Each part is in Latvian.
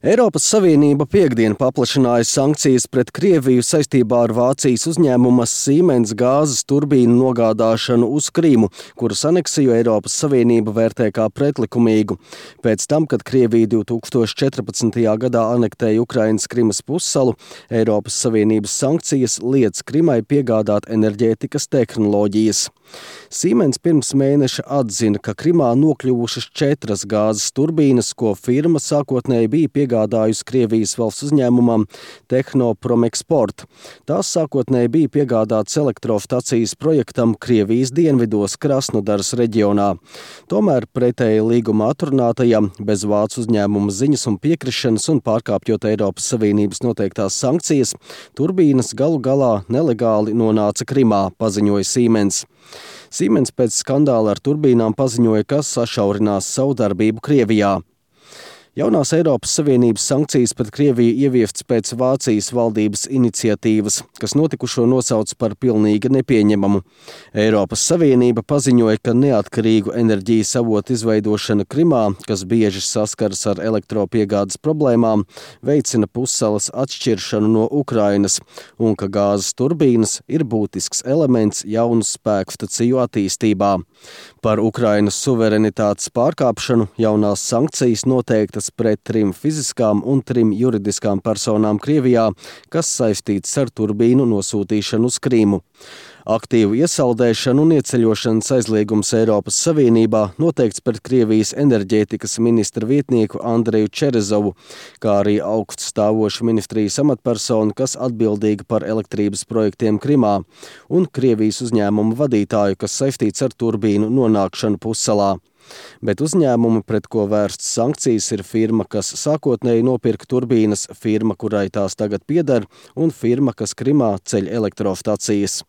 Eiropas Savienība piektdien paplašināja sankcijas pret Krieviju saistībā ar Vācijas uzņēmuma Siemens gāzes turbīnu nogādāšanu uz Krīmu, kuras aneksiju Eiropas Savienība vērtē kā pretlikumīgu. Pēc tam, kad Krievija 2014. gadā anektēja Ukrainas Krimas pussalu, Eiropas Savienības sankcijas liedz Krimai piegādāt enerģētikas tehnoloģijas. Siemens pirms mēneša atzina, ka Krimā nokļuvušas 4 gāzes turbīnas, ko firma sākotnēji bija piegādājusi Krievijas valsts uzņēmumam Tehnopromeksport. Tās sākotnēji bija piegādātas elektrostacijas projektam Krievijas dienvidos Krasnodaras reģionā. Tomēr pretēji līguma atrunātajam, bez vācu uzņēmuma ziņas un piekrišanas un pārkāpjot Eiropas Savienības noteiktās sankcijas, turbīnas galu galā nelegāli nonāca Krimā, paziņoja Siemens. Siemens pēc skandāla ar turbīnām paziņoja, ka sašaurinās savu darbību Krievijā. Jaunās Eiropas Savienības sankcijas pret Krieviju ieviestas pēc Vācijas valdības iniciatīvas, kas notikušo nosauc par pilnīgi nepieņemamu. Eiropas Savienība paziņoja, ka neatkarīgu enerģijas avotu izveidošana Krimā, kas bieži saskaras ar elektropiegādes problēmām, veicina pussalas atšķiršanu no Ukrainas un ka gāzes turbīnas ir būtisks elements jaunu spēkstaciju attīstībā. Par Ukrainas suverenitātes pārkāpšanu jaunās sankcijas noteiktas pret 3 fiziskām un 3 juridiskām personām Krievijā, kas saistītas ar turbīnu nosūtīšanu uz Krīmu. Aktīvu iesaldēšanu un ieceļošanas aizliegums Eiropas Savienībā noteikts pret Krievijas enerģētikas ministra vietnieku Andreju Čerezovu, kā arī augststāvošu ministrijas amatpersonu, kas atbildīga par elektrības projektiem Krimā, un Krievijas uzņēmumu vadītāju, kas saistīts ar turbīnu nonākšanu pussalā. Bet uzņēmumi, pret ko vērstas sankcijas, ir firma, kas sākotnēji nopirka turbīnas, firma, kurai tās tagad pieder, un firma, kas Krimā ceļ elektrostacijas.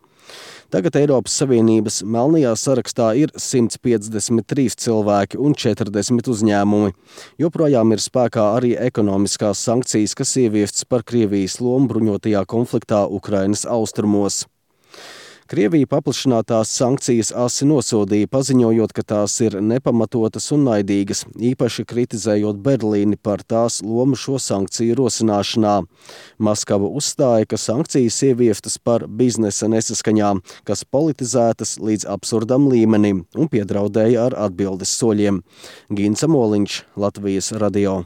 Tagad Eiropas Savienības melnajā sarakstā ir 153 cilvēki un 40 uzņēmumi. Joprojām ir spēkā arī ekonomiskās sankcijas, kas ieviestas par Krievijas lomu bruņotajā konfliktā Ukrainas austrumos. Krievija paplašinātās sankcijas asi nosodīja, paziņojot, ka tās ir nepamatotas un naidīgas, īpaši kritizējot Berlīni par tās lomu šo sankciju rosināšanā. Maskava uzstāja, ka sankcijas ieviestas par biznesa nesaskaņām, kas politizētas līdz absurdam līmenim un piedraudēja ar atbildes soļiem. Gints Amoliņš, Latvijas radio.